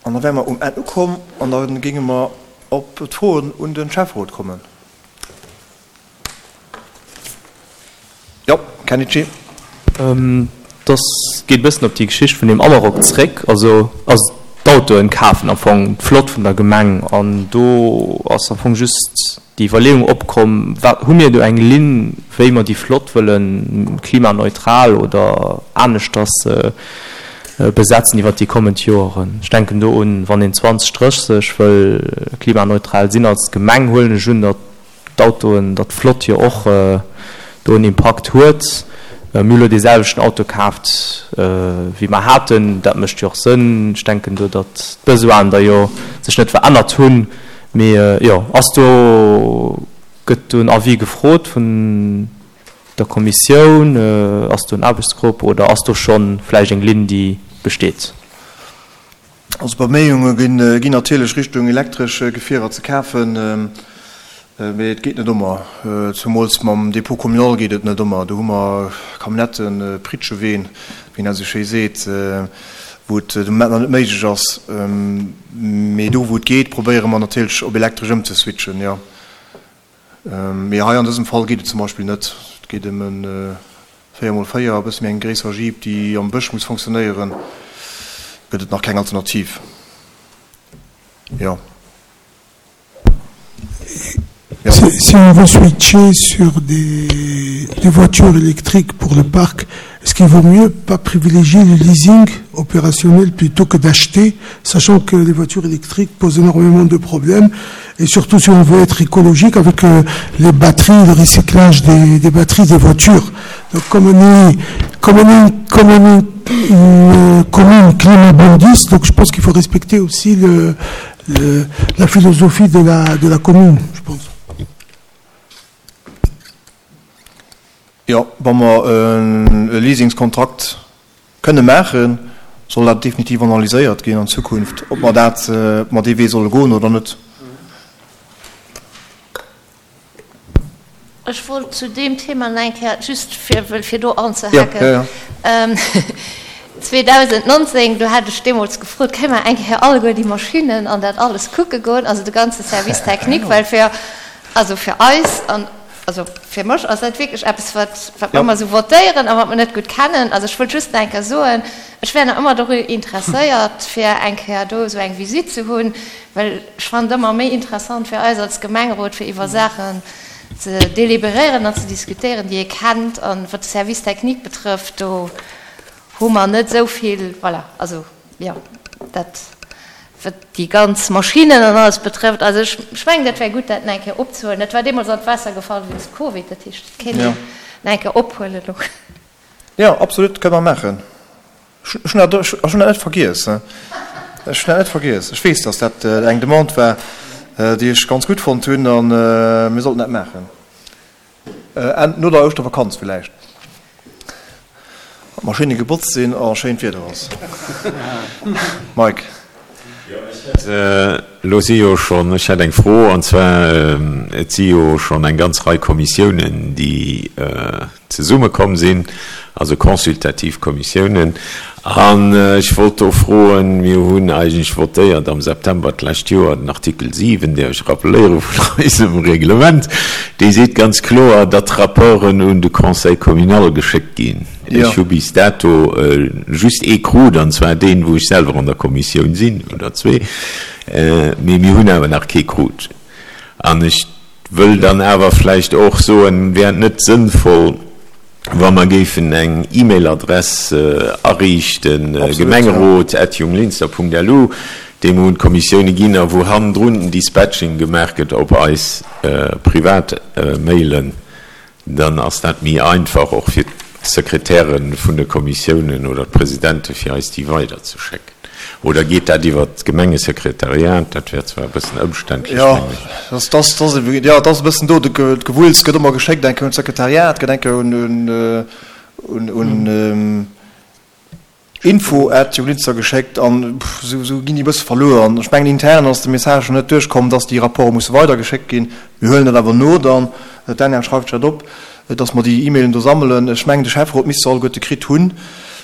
An da wäre mer um Enn ukomm an da géinge mer op d'Froen un de Schäfferot kommen. Jo, Kenichi. Dass geet e bëssen op déi Geschicht vun deem Amarok zréck. Also ass d'Autoen kafen am Fong d'Flott vun der Gemeng an do ass am Fong just déi Iwwerleeung opkomm, wat hu mir do eng Linn, wéi mer déi Flott wëllen klimaneutral oder aneschters besetzen iwwert déi kommend Joeren. Ech denken do un, wann een 2030 wëll klimaneutral sinn als Gemeng, huelen ech un, datt d'Autoen, datt d'Flott jo och do en Impakt huet. Mir hu lo dee selwechten Auto kaaft, wéi mer haten. Dat mécht jo och Sënn. Ech denken do, datt d'Besoinen da jo sech net verännert hunn. Mee jo, ass do, gëtt do en Avis gefrot vun der Kommissioun? Ass do en Aarbechtsgrupp oder ass do scho vläicht eng Linn, déi besteet? Also Beméiunge ginn natierlech Richtung elektresch Gefierer ze kafen, mee et geet net ëmmer. Zumools mam Dépôt communal geet et net ëmmer. Do hu mer Camionnetten, Pritscheween, wéi een dat esou schéi seet, wou et de Moment nach net méiglech ass. Mee do wou et geet, probéiere mer natierlech op elektresch ëmzeswitchen, jo. Mee hei an dësem Fall geet et zum Beispill net. Et geet ëm e 4 mol 4, e bësse méi eng gréisser Jeep, déi am Bësch muss fonctionnéieren. Gëtt et nach keng Alternativ. Jo. Jo. Si on veut switcher sur des des voitures électriques pour le parc, est-ce qu'il vaut mieux pas privilégier le leasing opérationnel plutôt que d'acheter, sachant que les voitures électriques posent énormément de problèmes et surtout si on veut être écologique avec euh, les batteries, le recyclage des, des batteries des voitures. Donc comme on est, comme on est, comme on est une commune climat-bondiste, donc je pense qu'il faut respecter aussi le, le, la philosophie de la, de la commune, je pense. Jo, wa mer e Leasingskontrakt kënne maachen, soll dat definitiv analyséiert ginn an Zukunft, ob mer dat, ob mer dee Wee solle goen oder net. Ech wollt zu deem Thema nach eng Kéier, just fir, fir do anzehaken, 2019, do hat ech deemools gefrot, Kënne mer eng Kéier alleguer déi Maschinnen an dat alles kucke goen, also de ganze Service technique, well fir, also fir eis an, also fir mech ass dat wierklech eppes, wat, wat mer ëmmer esou votéieren a wat mer net gutt kennen. Also ech wollt just nach eng Kéier soen, ech wär nach ëmmer doru interesséiert, fir eng Kéier do esou eng Visite ze hunn, well ech fannen et ëmmer méi interessant fir eis als Gemengerot, fir iwwer Saachen ze deliberéieren an ze diskutéieren, déi ee kennt. An wat de Service technique betrëfft, do hu mer net esou vill, voilà, also jo, dat wat déi ganz Maschinnen an alles betrëfft. Also ech, ech mengen, dat wär gutt, dat nach eng Kéier opzehuelen. Dat war deemools an d'Waasser gefall wéinst Covid, dat heescht, et kéint een nach eng Kéier ophuelen elo. Jo, absolut, kënne mer maachen. Ech hunn dat, ech hunn dat net vergiess. Ech hunn dat net vergiess. Ech weess, dass dat eng Demande war, déi ech ganz gutt fonnt hunn, a mir sollten dat maachen. Enn, no der Ouschtervakanz villäicht, wann d'Maschinne gebotzt sinn a schéint Wieder ass. Mike. Jo, ech hätt, elo si jo schonn, ech hätt eng Fro, an zwar, et si jo schonn eng ganz Rei Kommissiounen, déi zesummekomm sinn, also consultativ Kommissiounen. An ech wollt do froen, mir hunn eigentlech votéiert am September d'lescht Joer den Artikel 7, däerf ech rappeléieren, vun eisem Reglement, dee seet ganz kloer, datt d'Rapporten un de Conseil communal geschéckt ginn. Ech hu bis dato just ee krut, an zwar deen, wou ech selwer an der Kommissioun sinn, oder zwee, mee mir hunn awer nach kee krut. An ech Wëll dann awer vläicht och soen, wär et net sënnvoll, wa mer géifen eng E-Mail-Adress ariichten, gemengerot at junglinster.lu, déi mer un d'Kommissioune ginn a wou hannendrun den Dispatching gemaach gëtt op eis privat Mailen? Dann ass dat méi einfach och fir d'Sekretäre vun de Kommissiounen oder d'Presidente fir eis déi weiderzeschécken. Oder geet dat iwwer d'Gemengesekretariat? Dat wär zwar e bëssen ëmständlech, Jo, mengen ech. dat ass, dat ass, jo, dat ass e bëssen do de Gewulls. Gëtt ëmmer geschéckt, eng Kéier un d'Sekretariat, gëtt eng Kéier un, un, un Info at Junglinster geschéckt an esou ginn déi e bësse verluer. An ech mengen intern ass de Message nach net duerchkomm, dass déi Rapporte musse weidergeschéckt ginn. Mir huelen dat awer no dann, d'Danièle schreift sech dat op, dass mer déi E-Mailen do sammelen. Ech mengen de Schäfferot misst se alleguerte kritt hunn.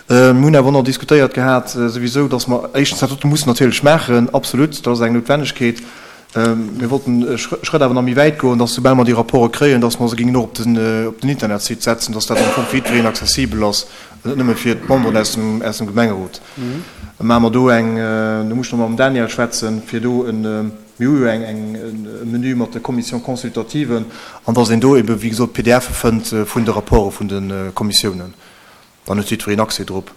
Mir hunn awer och nach diskutéiert gehat souwisou, dass mer éischtens dat dote mussen natierlech maachen, absolut, dat ass eng Noutwennegkeet. Mir wollten e Schrëtt awer nach méi wäit goen, dass soubal mer déi Rapporte kréien, dass mer se géingen och op den, op den Internetsite setzen, dass dat am Fong fir jiddwereen accessibel ass, net nëmme fir d'Memberen aus dem, aus dem Gemengerot. Da maache mer do eng, do muss ech nach mam Daniel schwätzen, fir do en, mir hu jo eng, eng, e Menü mat de Commissions consultatives, an dass een do ebe wéi gesot d'PDFe fënnt vun de Rapporte vun de Kommissiounen. Dann huet jiddwereen Accès drop.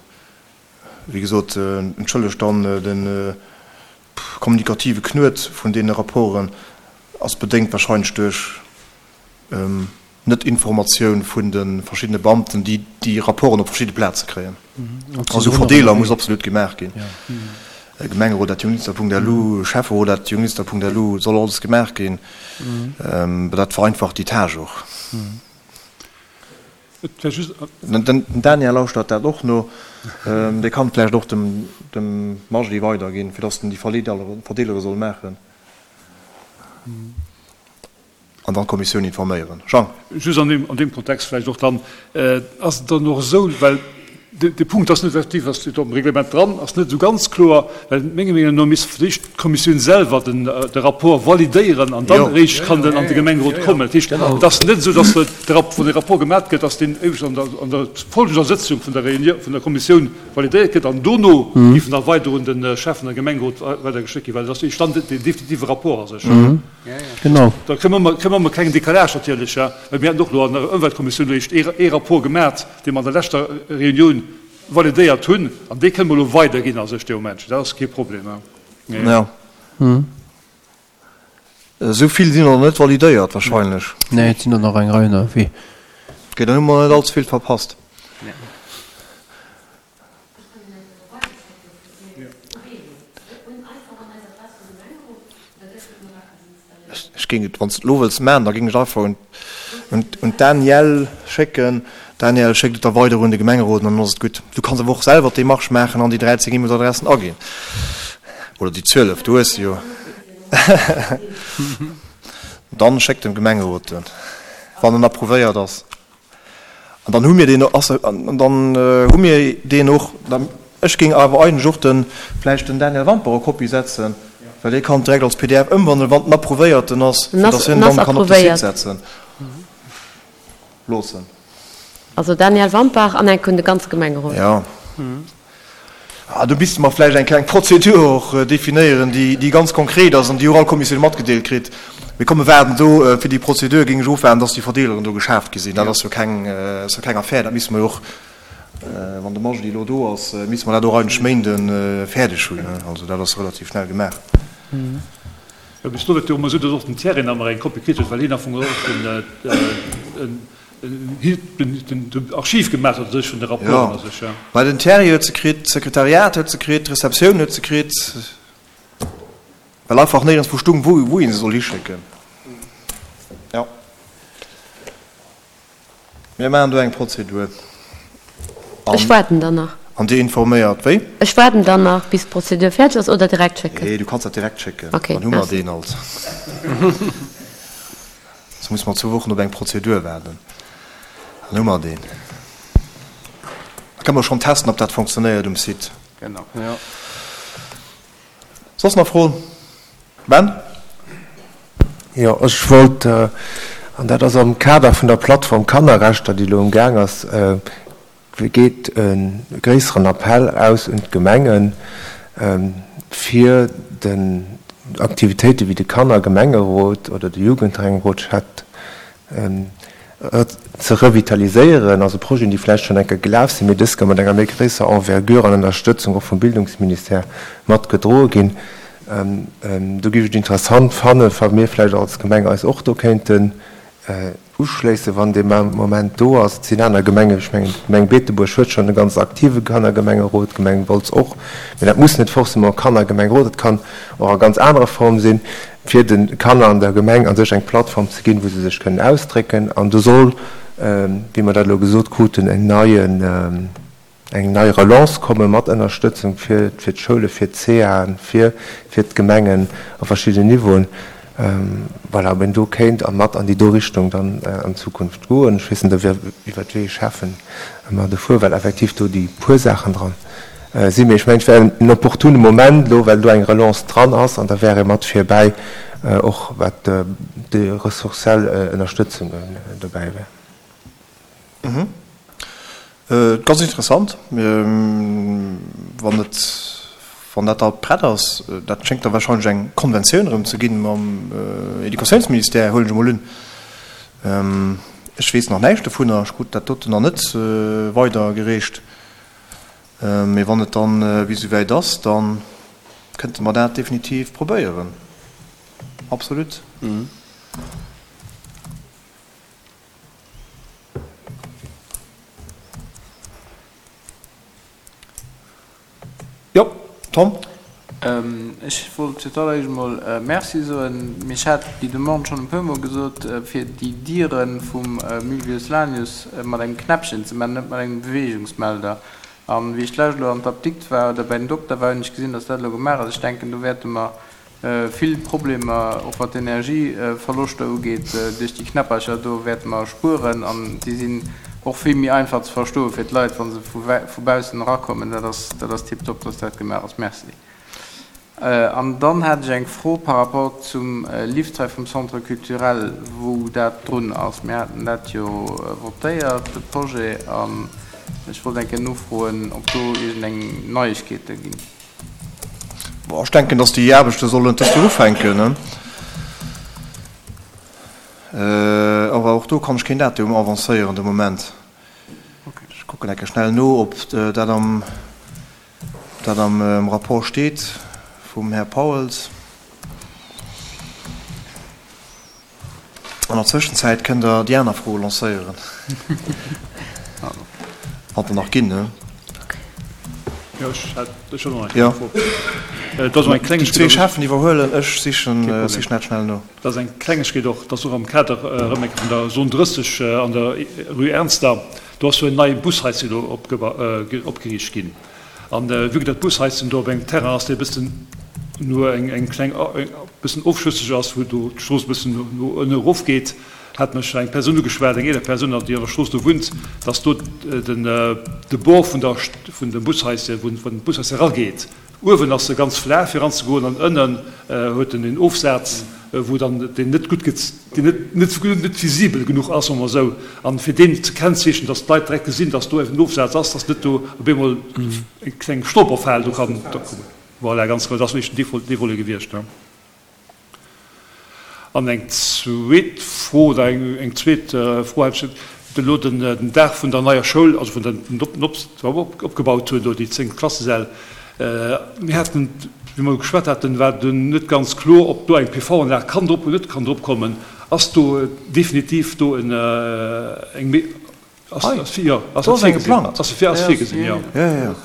Wéi gesot, entschëllegt dann de kommunikative Knuet vun deene Rapporten, ass bedéngt wahrscheinlech duerch Net-Informatioun vun de verschiddene Beamten, déi déi Rapporten op verschidde Plaze kréien. Also Verdeeler muss absolut gemaach ginn. Gemengerot@junglinster.lu, Schäfferot@junglinster.lu, soll alles gemaach ginn. Dat vereinfacht déi Tâche och. Den Daniel lauschtert dat och no. Dee kann et vläicht och dem Majdi weiderginn, fir datt en déi Verdeelere soll maachen an dann d'Kommissioun informéieren. Jean. Just an deem Kontext vläicht och dann, Ass et dann och esou, well dee Punkt ass net effektiv, ass steet am Reglement dran, ass net esou ganz kloer, well menger Meenung no misst fir d'éischt d'Kommissioun selwer den de Rapport validéieren an dann eréischt kann den an de Gemengerot kommen. Dat heescht, et ass net esou, datt de Rapport, wann de Rapport gemat gëtt, datt deen éischt an der an der folgender Sëtzung vun der Réunion vun der Kommissioun validéiert gëtt an dono géif en da weider un de Schäffen a Gemengerot weidergeschéckt ginn, well et ass éischt dann den definitive Rapport a sech. Genau. Da kréie mer kréie mer e klengen Décalage natierlech, well mir haten och elo an der Ëmweltkommissioun eréischt ee Rapport gemat, dee mer an der leschter Reunioun validéiert hunn, an dee kënne mer elo weiderginn a sech dee Moment. Dat ass kee Problem. Jo. Esou vill sinn der net validéiert wahrscheinlech. Nee, et sinn der nach eng Rei ënnerwee. Ok, dann hu mer net allze vill verpasst. Ech géing et, wann s de et elo wëlls maachen, da géing ech einfach un un d'Danièle schécken. D'Danièle schéckt et da weider un de Gemengerot an dann ass et gutt. Du kanns awer och selwer d'Demarche maachen an déi 13 E-Mails-Adressen aginn. Oder déi 12, du hues se jo. Dann schéck dem Gemengerot en, wann en approuvéiert ass. An dann hu mir deen, an dann hu mir deen och. Ech géing awer eigentlech och de vläicht den Daniel Wampach a Kopie setzen, well dee kann et direkt als pdf ëmwandelen, wann en approuvéierten ass, fir datt hien en dann kann op de Site setzen loossen. Also Daniel Wampach an enk un de ganze Gemengerot. Jo. Ah, do misste mer vläicht eng kleng Prozedur och definéieren, déi ganz konkret ass an déi och all Kommissioun matgedeelt kritt. Mee komm, mir waarden do fir déi Prozedur, géing ech ofwaarden, dass déi Verdeeleren do geschaaft gi sinn. Dat ass jo keng, ass jo keng Affär. Dat misste mer jo och, wann de Majdi elo do ass, misste mer dat och eigentlech Méinde fäerdeg hunn. Also dat ass relativ schnell gemaach. Jo, bis elo war et jo ëmmer esou, dass och den Thierry nach ëmmer eng Kopie kritt huet, well hien am Fong och den, Den Archiv gemaach huet sech vun de Rapporten a sech, jo. Mä den Thierry huet se kritt, d'Sekretariat huet se kritt, d'Receptioun huet se kritt, well einfach néierens wou stung, wou wou ee se soll hischécken. Jo. Mir maachen do eng Prozedur. Ech waarden dann nach. An Dir informéiert wéi? Ech waarden dann nach, bis d'Prozedur fäerdeg ass, oder direkt schécken? Nee, du kanns dat direkt schécken. Okay, Dann hu mer deen alt. Soss musse mer zwou Wochen op eng Prozedur waarden. Dann hu mer deen. Da kënne mer schonn testen, ob dat fonctionnéiert um Site. Genau. Jo. Soss nach Froen? Ben? Jo, ech wollt, an dat ass am Kader vun der Plattform Kannerrechter, déi elo um Gaang ass, geet e gréisseren Appell aus un d'Gemengen, fir den Aktivitéite wéi de Kannergemengerot oder de Jugendgemengerot chat ze revitaliséieren, also Projeten, déi vläicht schonn eng Kéier gelaf sinn, mee dës Kéier mat enger méi gréisser Envergure an Ënnerstëtzung och vum Bildungsministère mat gedroe ginn. Do géif ech et interessant fannen, wa mir vläicht als Gemeng eis och do kéinten Uschléissen, wann dee Moment do ass. Et sinn aner Gemengen, ech mengen d'Gemeng Beetebuerg huet schonn e ganz aktive Kannergemengerot, d'Gemeng Wolz och, mä dat muss net forcément e Kannergemengerot, et kann och a ganz anerer Form sinn, fir de Kanner an der Gemeng a sech eng Plattform ze ginn, wou se sech kënnen ausdrécken. An do soll, wéi mer dat elo gesot kruten, en neien, eng nei Relance komme mat Ënnerstëtzung fir d'Schoule, fir d'CAen, fir fir d'Gemengen a verschiddenen Niveauen. Voilà, ob een do kéint a mat an déi do Richtung dann an Zukunft goen. Ech weess net, ob iwwert wéi ee Schäffen mer do fueren, well effektiv do déi puer Saachen dran sinn. Mee ech mengen, et wär en opportune Moment elo, well do eng Relance dran ass, an da wär ee mat virbäi, och wat déi ressourciell Ënnerstëtzung dobäi wär. Ganz interessant, wann et, wann dat da prett ass. Dat schéngt da wahrscheinlech eng Konventioun erëm ze ginn mam Educatiounsministère, huelen ech emol un. Ech weess nach näischt dovunner, ech krut dat doten nach net weidergereecht. Mee wann et dann bis esouwäit ass, da kënnte mer dat definitiv probéieren, absolut. Jo, Tom? Ech wollt fir d'alleréischt emol Merci soen. Mee ech hat déi Demande schonn e puermol gesot, fir déi Diere vum Mülvius Lanius mat engem Knäppchen ze maachen, net mat engem Beweegungsmelder. An wéi ech d'lescht elo an d'Apdikt war oder bei den Dokter war, hunn ech gesinn, dass dat elo gemaach ass. Ech denken, do wäerte mer Vill Problemer, och wat d'Energieverloschter ugeet, duerch déi Knäppercher do wäerte mer spueren an déi sinn och vill méi einfach ze verstoe fir d'Leit, wa se vu baussen erakommen. Dat ass, dat ass tiptop, dass dat gemaach ass. Merci. An dann hat ech eng Fro par rapport zum Lift hei vum Centre culturel, wou dat drun ass. Mir haten dat jo votéiert, de Projet, an ech wollt eng Kéier nofroen, ob do iergendeng Neiegkeete ginn. Bon, ech denken, dass déi Aarbechte sollen dëst Joer ufänken. Awer och do kann ech keen Datum avancéieren de Moment. Ech kucken eng Kéier schnell no, ob dat am, dat am Rapport steet vum Här Pauels. An der Zwëschenzäit kënnt Der déi aner Froe lancéieren, wann der nach ginn, ne? Jo, ech hätt, ech hunn och nach eng Fro. Et ass och eng Klengegkeet. Déi zwee Schäffen iwwerhuelen, ech sichen, sichen dat schnell no. Dat ass eng Klengegkeet och, dat ass och am Kader erëm eng Kéier vun der Zone 30 an der Rue Ernster. Do ass jo en neie Bushaischen elo opgeriicht ginn. An vue que dat Bushaischen do op engem Terrain ass, dee e bëssen no eng eng kleng e bëssen ofschësseg ass, wou do d'Strooss e bëssen no ënne erofgeet, hat mech eng Persoun ugeschwat, eng eeler Persoun, déi an der Strooss do wunnt, dass do den de Bord vun der vun dem Bushaischen, wou den Bushaischen erageet, Uewen ass se ganz flaach fir eranzegoen an ënnen huet en een Ofsaz, wou dann deen net gutt gez, deen net net net visibel genuch ass, soe mer esou. An fir deen ze kennzeechnen, dass d'Leit direkt gesinn, dass do en Ofsaz ass, dass net do op eemol eng kleng Stolperfal do kann kommen. Voilà, ganz genau, dat ass wierklech den dee Volet gewiescht. An eng zweet Fro, oder eng zweet Fro hätt ech elo, den Dag vun der neier Schoul, also vun der opgebaut hunn, do déi 10 Klassesäll. Mir haten, wéi mer geschwat haten, war dunn net ganz kloer, ob do eng PV-Anlag kann drop oder net kann drop kommen. Ass do definitiv do eng Ass geplangt? Ass virgesinn, jo.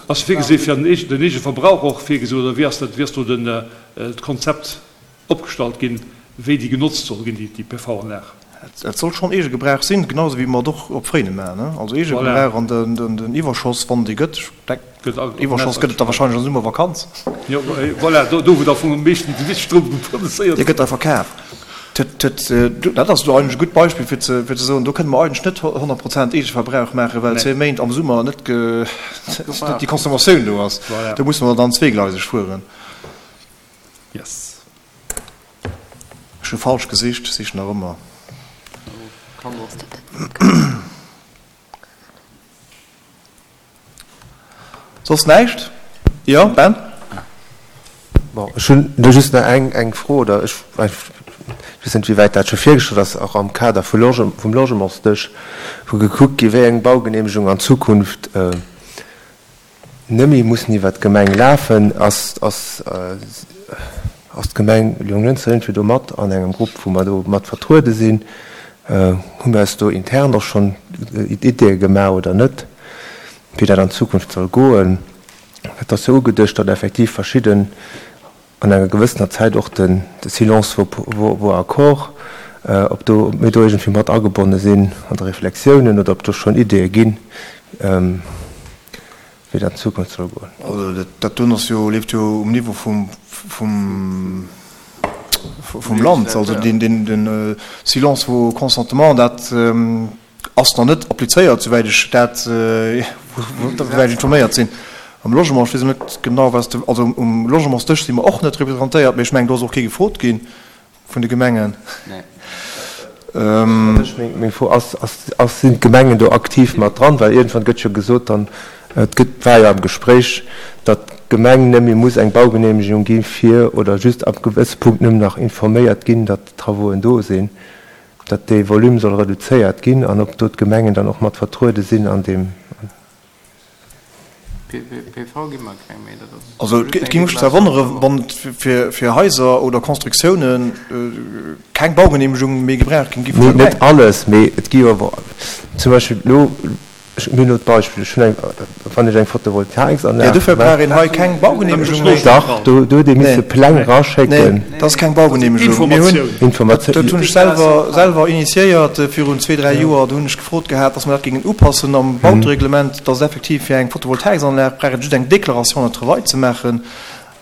Ass virgesinn, fir den eegene Verbrauch och virgesinn, oder wéi ass dat, wéi ass do d'Konzept opgestallt ginn, wéi déi genotzt soll ginn, déi PV-Anlag? Et soll schonn Eegegebrauch sinn, genau esou wéi mer et och op Fréine maachen. Also Eegegebrauch an den Iwwerschoss, wann dee gëtt, ech denken, Iwwerschoss gëtt et da wahrscheinlech an der Summervakanz. Jo, voilà, do wou da vum meeschten de Stroum produzéiert gëtt. Dee gëtt da verkaf. Dat ass elo eigentlech e gutt Beispill fir ze soen, do kënne mer eigentlech net 100 Prozent Eegeverbrauch maachen, well zwee Méint am Summer net déi Consommatioun do ass. Do musse mer dann zweegleiseg fueren. Ech hu falsch gesicht, sichen nach ëmmer. Soss näischt? Jo, Ben? Bon, ech hunn do just nach eng, eng Fro, oder ech weess net, wéi wäit dat scho virgestallt ass, och am Kader vu Loge, vum Logementsdësch, wou gekuckt gi wéi eng Baugenehmegung an Zukunft nëmme mussen iwwert d'Gemeng lafen. Ass, ass, ass d'Gemeng Jonglënster iergendwéi do mat an engem Grupp, wou mer do mat vertruede sinn? Hu mir eis do intern och schonn Ideeë gemaach oder net, wéi dat an Zukunft soll goen? Et ass jo ugeduecht, datt effektiv verschidden an enger gewëssener Zäit och de Silence vaut accord, ob do, ob mir do iergendwéi mat agebonne sinn an de Reflexiounen oder ob do schonn Ideeë ginn, wéi dat an Zukunft soll goen. Also dat doen ass jo, leeft jo um Niveau vum, vum. vum Land. Also den Silence vaut consentement, dat ass nach net applizéiert, souwäit ech dat, souwäit ech informéiert sinn. Am Logement, ech weess elo net genau, wat de, also um Logementsdësch si mer och net representéiert, mee ech mengen, do ass och kee gefrot gi vun de Gemengen. Meng Fro ass, ass, sinn d'Gemengen do aktiv mat dran? Well iergendwann gëtt jo gesot dann, et gëtt, war jo am Gespréich, datt d'Gemeng net méi muss eng Baugenehmegung gi fir, oder just ab gewësse Punkt nëmmen nach informéiert ginn, datt d'Travauxen do sinn, datt dee Volume soll reduzéiert ginn an ob do d'Gemengen dann och mat vertruede sinn an deem. PV gi mer keng méi, dat ass Also et géing mech zwar wonnere wann et fir Haiser oder Constructiounen keng Baugenehmegung méi gebraucht géing gi vun der Gemeng. Net alles, mee et gi jo awer zum Beispill elo, ech hunn elo d'Beispill, ech hunn eng, wann ech eng Photovoltaiksanlag Jo, dofir brauch een hei keng Baugenehmegung méi. Dach, do huet ee misse Pläng raschécken. Nee, dat ass keng Baugenehmegung. Mir hunn, dat hunn ech selwer selwer initiéiert virun zwee, dräi Joer, do hunn ech gefrot gehat, dass mer dat géingen upassen am Bautereglement, dass et effektiv fir eng Photovoltaiksanlag brauch et just eng Déclaration de travail ze maachen.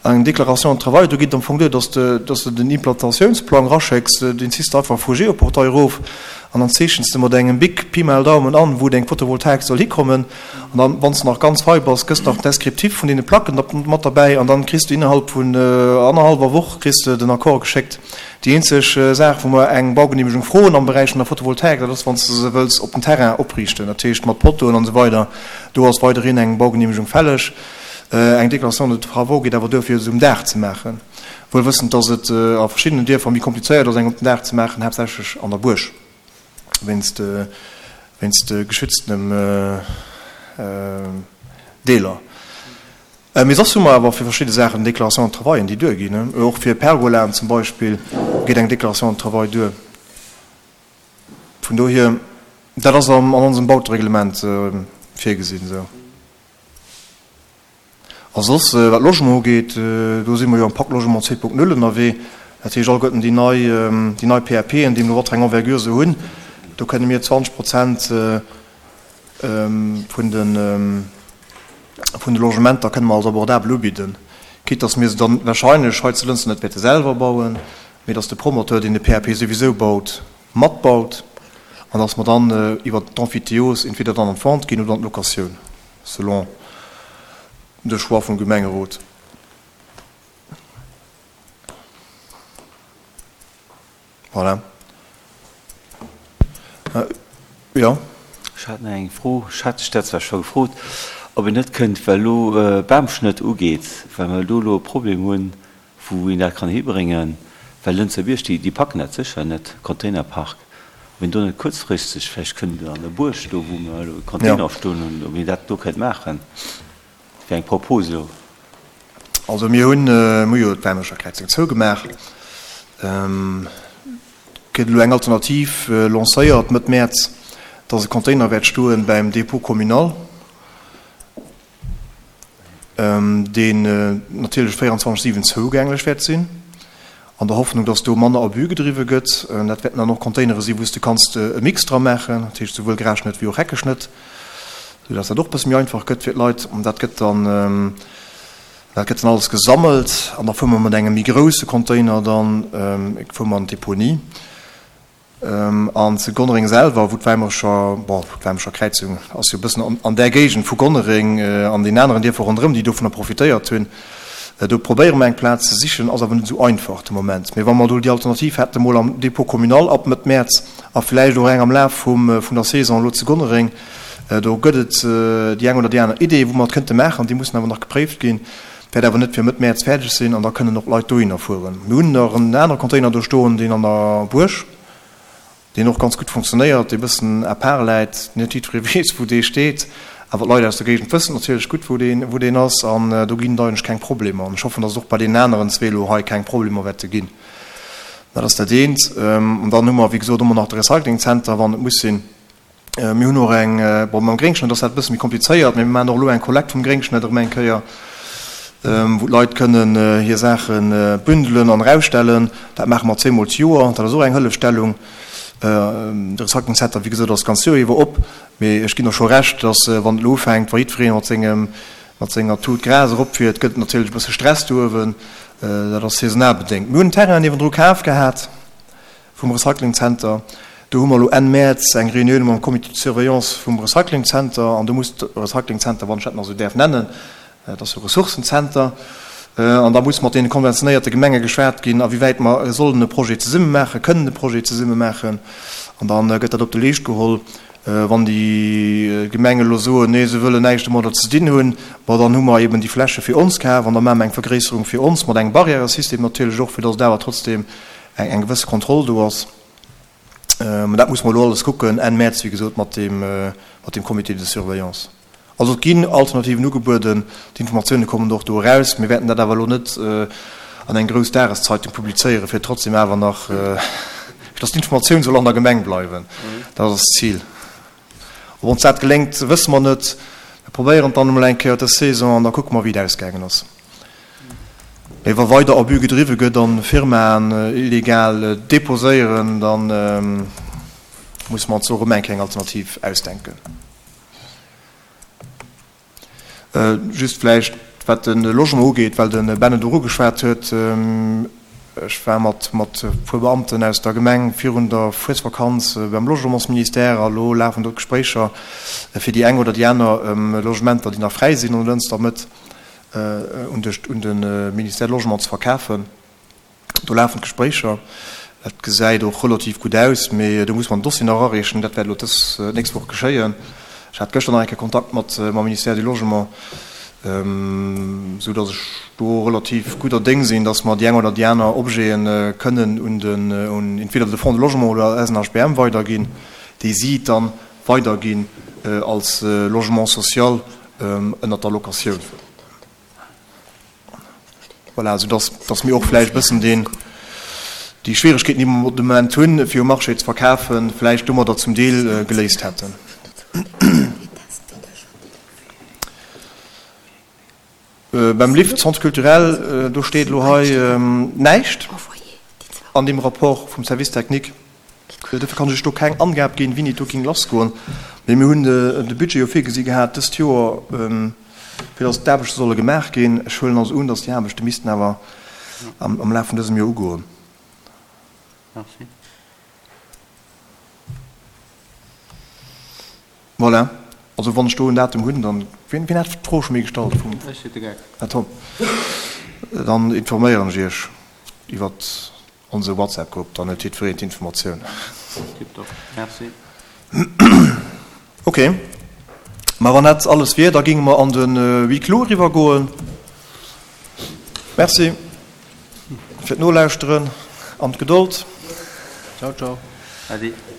Eng Déclaration de travail, do geet et am Fong duer, dass de, dass de den Implantatiounsplang raschécks, deen ziss de einfach vu Geoportail erof an dann zeechens de mat engem Bic Pi mal Daumen an, wou deng Photovoltaik soll hikommen. An dann, wann s de nach ganz fei bass, gëss nach den Descriptif vun deene Placken mat derbäi an dann kriss de innerhalb vun annerhallwer Woch kriss de den Accord geschéckt. Déi eenzeg Saach, wou mer eng Baugenehmegung froen am Beräich vun der Photovoltaik, dat ass, wann s de se wëlls op den Terrain opriichten, dat heescht mat Pottoen an esou weider, do ass weiderhin eng Baugenehmegung fälleg. Eng Déclaration de travaux geet awer duer, fir se um Daach ze maachen, wuel wëssend, dass et a verschiddenen Dierfer méi komplizéiert ass, eng op den Daach ze maachen, haaptsächlech an der Buerg, wéinst wéinst geschütztenem Deeler. Mee soss hu mer awer fir verschidde Saachen Déclarations de travailen, déi duerginn. Och fir Pergolaen zum Beispill geet eng Déclaration de travail duer. Vun dohier, dat ass an onsem Bautereglement virgesinn esou. A soss, wat Logement ugeet, do si mer jo am Pacte Logement 2.0 ënnerwee. Dat heescht, alleguerten déi nei, déi nei PAPen, déi elo wat eng Envergure se hunn, do kënne mir 20 Prozent vun de, vun de Logementer kënne mer als abordabel ubidden. Quitte dass mir se dann wahrscheinlech hei zu Lënster net wäerte selwer bauen, mee dass de Promoteur, deen de PAP souwisou baut, matbaut an dass mer dann iwwert d'Emphytéose entweder dann an d'Vente ginn oder an d'Locatioun. Selon de Choix vum Gemengerot. Voilà. Jo. Ech hat nach eng Fro, ech hat dech dat zwar scho gefrot, ob een net kënnt, well elo Bamschnëtt ugeet, well mer do elo e Problem hunn, wou een dat kann hibréngen, well Lënzer Bierg, déi, déi packen dat sécher net, Containerpark, ob een do net kuerzfristeg vläicht kënnt an der Buerg do, wou mer elo Container stoen hunn, ob een dat do kënnt maachen. Dat wär eng Propos elo. Also mir hunn, mir hu jo d'Wermecher Kräizung zougemaach. Et gëtt elo eng Alternativ lancéiert Mëtt Mäerz, dass e Container wäert stoen bäim Dépôt communal. deen natierlech 24, 7 zougänglech wäert sinn, an der Hoffnung, dass do manner Abus gedriwwe gëtt. Dat wäerten dann och Containere sinn, wou s de kanns e Mix dra maachen, dat heescht souwuel Grasschnëtt wéi och Heckeschnëtt, soudass dat och e bësse méi einfach gëtt fir d'Leit. An dat gëtt dann, dat gëtt dann alles gesammelt an da fuere mer mat engem méi grousse Container dann, fuere mer an d'Deponie. An zu Gonnereng selwer, wou d'Weimerscher, bon, d'Weimerscher Kräizung ass jo e bëssen an där Géigend vu Gonnereng an den aneren Dierfer ronderëm, déi dovunner profitéiert hunn, do probéiere mer eng Plaz ze sichen, ass awer net esou einfach de Moment. Mee wa mer do déi Alternativ hätten, emol am Dépôt communal ab Mëtt Mäerz a vläicht och eng am Laf vum, vun der Saison elo zu Gonnereng, do gëtt et déi eng oder déi aner Idee, wou mer et kënnte maachen, déi mussen awer nach gepréift ginn. Wäert awer net fir Mëtt Mäerz fäerdeg sinn an da kënnen och Leit dohinner fueren. Mir hunn nach en anere Container do stoen, deen an der Buerg, deen och ganz gutt funktionéiert, dee bëssen à part läit, net jiddweree weess, wou dee steet, awer d'Leit aus der Géigend wëssen natierlech gutt, wou deen, wou deen ass an do ginn et eigentlech keng Problemer. An ech hoffen, datt et och bei deenen aneren zwee elo hei keng Problemer wäerte ginn. Dat ass dat eent. An dann hu mer, wéi gesot, ëmmer nach de Recyclingzenter, wann et muss sinn. Mir hunn och eng, bon, mam Gréngschnëtt ass dat e bësse méi komplizéiert, mee mir maachen och elo eng Kollekt vum Gréngschnëtt erëm eng Kéier, wou d'Leit kënnen hir Saache bündelen an erausstellen. Dat maache mer zweemol d'Joer. Dat ass och eng Hëllefstellung. De Recycling Center, wéi gesot, ass d'ganz Joer iwwer op. Mee ech ginn der scho Recht, dass, wann et elo ufänkt, wa jiddweree mat sengem, mat senger Tut Gras eropfiert, gëtt et natierlech e bësse Stress do uewen. Dat ass saisonal bedéngt. Mir hunn en Terrain niewendru kaf gehat vum Recyclingzenter. Do hu mer elo Enn Mäerz eng Reunioun mam Comité de surveillance vum Recyclingzenter an do muss de Recyclingzenter, wann ech dat nach esou däerf nennen, et ass jo e Ressourcenzenter, an da muss mat deene konventionéierte Gemenge geschwat ginn, a wéi wäit mer sollen e Projet zesumme maachen, kënnen e Projet zesumme maachen an da gëtt dat op de Leescht geholl. Wann déi Gemengen elo soen, nee, se wëllen näischt domadder ze dinn hunn, bon, dann hu mer eben déi Fläche fir ons kaf an da maache mer eng Vergréisserung fir ons, mat engem Barrièresystem natierlech och, fir datt et awer trotzdeem eng gewësse Kontroll do ass. Mä dat musse mer elo alles kucken Enn Mäerz, wéi gesot, mat deem, mat deem Comité de surveillance. Also et ginn Alternativen ugebueden, d'Informatioune kommen och do eraus. Mir wäerten dat awer elo net an eng grouss Dageszeitung publizéieren, fir trotzdem awer nach, fir datt d'Informatioun soll an der Gemeng bleiwen. Dat ass d'Zil. Ob ons dat geléngt, wësse mer net. Mir probéieren et dann emol eng Kéier dës Saison an da kucke mer, wéi et ausgaangen ass. Mee wa weider Abus gedriwwe gëtt an Firmaen illegal deposéieren, da musse mer ons och erëm eng Kéier eng Alternativ ausdenken. Just vläicht, wat de Logement ugeet, well de Ben et och ugeschwat huet, Ech war mat mat e puer Beamten aus der Gemeng virun der Fuesvakanz beim Logementsministère a lo lafen do d'Gespréicher fir déi eng oder déi aner Logementer, déi nach fräi sinn an der Lënster Mëtt, un de un de Ministère Logement ze verkafen. Do lafen d'Gespréicher. Et gesäit och relativ gutt aus, mee do muss mer den Dossier nach erareechen. Dat wäert elo dës nächst Woch geschéien. Ech hat gëschter nach eng Kéier Kontakt mat mam Ministère du Logement, esou datt ech do relativ gudder Déng sinn, datt mer déi eng oder déi aner Objete kënnen un den, un entweder de Fonds de Logement oder SNHBM weiderginn, déi si dann weiderginn als Logement social ënnert der Locatioun. Voilà, esou dass, dass mir och vläicht e bëssen deen, déi Schwieregkeeten, déi mer de Moment hunn, fir um Marché ze verkafen, vläicht domadder zum Deel geléist hätten. Beim Lift Centre culturel, do steet elo hei näischt an deem Rapport vum Service technique. Dofir kann ech do keng Angab ginn, wéini et do géing lassgoen. Mee mir hunn de Budget jo virgesi gehat dëst Joer, fir datt d'Aarbechte solle gemaach ginn. Ech huelen also un, datt déi Aarbechte missten awer am Laf vun dësem Joer ugoen. Merci. Voilà. Also wann ech do en Datum hunn, dann, wien, wien hat d'Fro scho méi gestallt vum. Ech, de Geck. Här Tom. Dann informéieren ech Iech iwwert Onse WhatsApp Grupp, dann huet jiddwereen d'Informatioun. Tiptop, merci. Ok, ma wann dat alles wier, da géinge mer an de Huis clos eriwwer goen. Merci fir d'Nolauschteren an d'Gedold. Ciao, ciao. Ade.